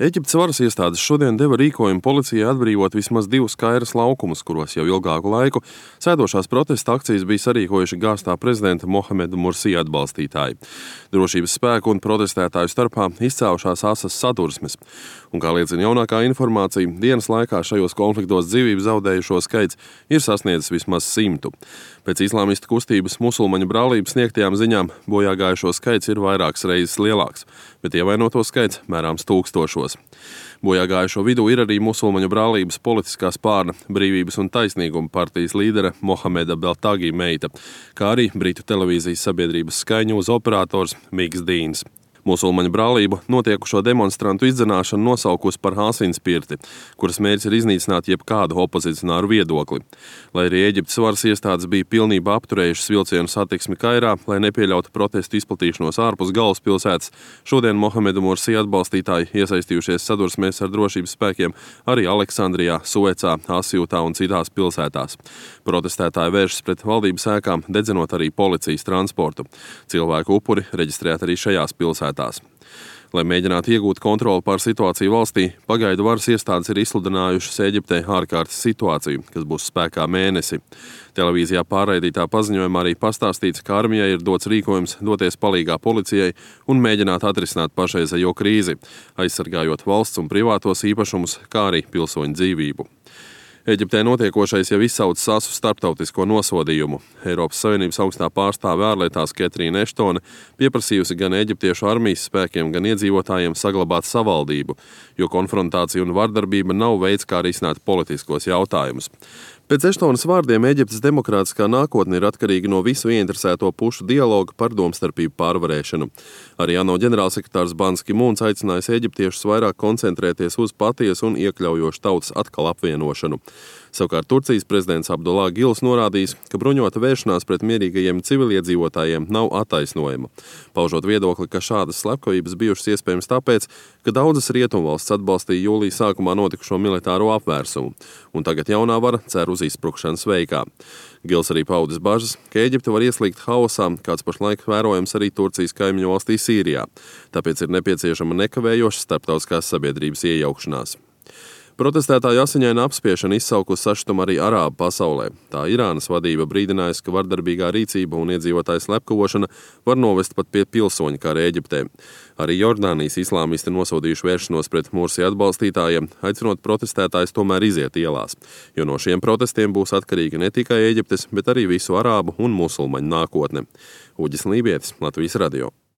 Eģiptes varas iestādes šodien deva rīkojumu policijai atbrīvot vismaz 2 Kairas laukumus, kuros jau ilgāku laiku sēdošās protesta akcijas bija sarīkojuši gāztā prezidenta Mohameda Mursī atbalstītāji. Drošības spēku un protestētāju starpā izcēlušās asas sadursmes. Un, kā liecina jaunākā informācija, dienas laikā šajos konfliktos dzīvību zaudējušo skaits ir sasniedzis vismaz 100. Pēc islāmistu kustības musulmaņu brālības sniegtajām ziņām bojāgājušo skaits ir vairākas reizes lielāks, bet ievainoto skaits mērāms tūkstošos. Bojāgājušo vidū ir arī musulmaņu brālības politiskā spārna Brīvības un taisnīguma partijas līdere Mohameda Beltagi meita, kā arī Britu televīzijas sabiedrības Sky News operators Miks Dīns. Musulmaņu brālību notiekušo demonstrantu izdzenāšanu nosaukusi par asinsspirti, kuras mērķis ir iznīcināt jebkādu opozicionāru viedokli. Lai arī Eģiptes varas iestādes bija pilnībā apturējušas vilcienu satiksmi Kairā, lai nepieļautu protestu izplatīšanos ārpus galvaspilsētas, šodien Mohameda Mursī atbalstītāji iesaistījušies sadursmēs ar drošības spēkiem arī Aleksandrijā, Suecā, Asjūtā un citās pilsētās. Protestētāji vēršas pret valdības ēkām, dedzinot arī policijas transportu. Cilvēku upuri reģistrēti arī šajās pilsētās. Lai mēģinātu iegūt kontroli pār situāciju valstī, pagaidu varas iestādes ir izsludinājušas Eģiptei ārkārtas situāciju, kas būs spēkā mēnesi. Televīzijā pārraidītā paziņojumā arī pastāstīts, ka armijai ir dots rīkojums doties palīgā policijai un mēģināt atrisināt pašreizējo krīzi, aizsargājot valsts un privātos īpašumus, kā arī pilsoņu dzīvību. Eģiptē notiekošais jau izsaucis asu starptautisko nosodījumu. Eiropas Savienības augstā pārstāve ārlietās Ketrīna Eštone pieprasījusi gan eģiptiešu armijas spēkiem, gan iedzīvotājiem saglabāt savaldību, jo konfrontācija un vardarbība nav veids, kā risināt politiskos jautājumus. Pēc Eštonas vārdiem Eģiptes demokrātiskā nākotne ir atkarīga no visu ieinteresēto pušu dialoga par domstarpību pārvarēšanu. Arī ANO ģenerālsekretārs Bans Ki-mūns aicinājis eģiptiešus vairāk koncentrēties uz patiesu un iekļaujošu tautas atkal apvienošanu. Savukārt Turcijas prezidents Abdullah Gils norādījis, ka bruņota vēršanās pret mierīgajiem civiliedzīvotājiem nav attaisnojama, paužot viedokli, ka šādas slepkavības bijušas iespējams tāpēc, ka daudzas rietumvalstis atbalstīja jūlija sākumā notikušo militāro apvērsumu, un tagad jaunā vara cer uz izsprukšanas veikā. Gils arī paudis bažas, ka Eģipte var ieslīgt haosā, kāds pašlaik vērojams arī Turcijas kaimiņu valstī Sīrijā, tāpēc ir nepieciešama nekavējoša starptautiskās sabiedrības iejaukšanās. Protestētāju asiņaina apspiešana izsaukusi sašutumu arī arābu pasaulē. Tā Irānas vadība brīdinājusi, ka vardarbīgā rīcība un iedzīvotāju slepkavošana var novest pat pie pilsoņu kara Eģiptē. Arī Jordānijas islāmisti nosodījuši vēršanos pret Mursī atbalstītājiem, aicinot protestētājus tomēr iziet ielās, jo no šiem protestiem būs atkarīga ne tikai Eģiptes, bet arī visu arābu un musulmaņu nākotne. Uģis Lībietis, Latvijas radio.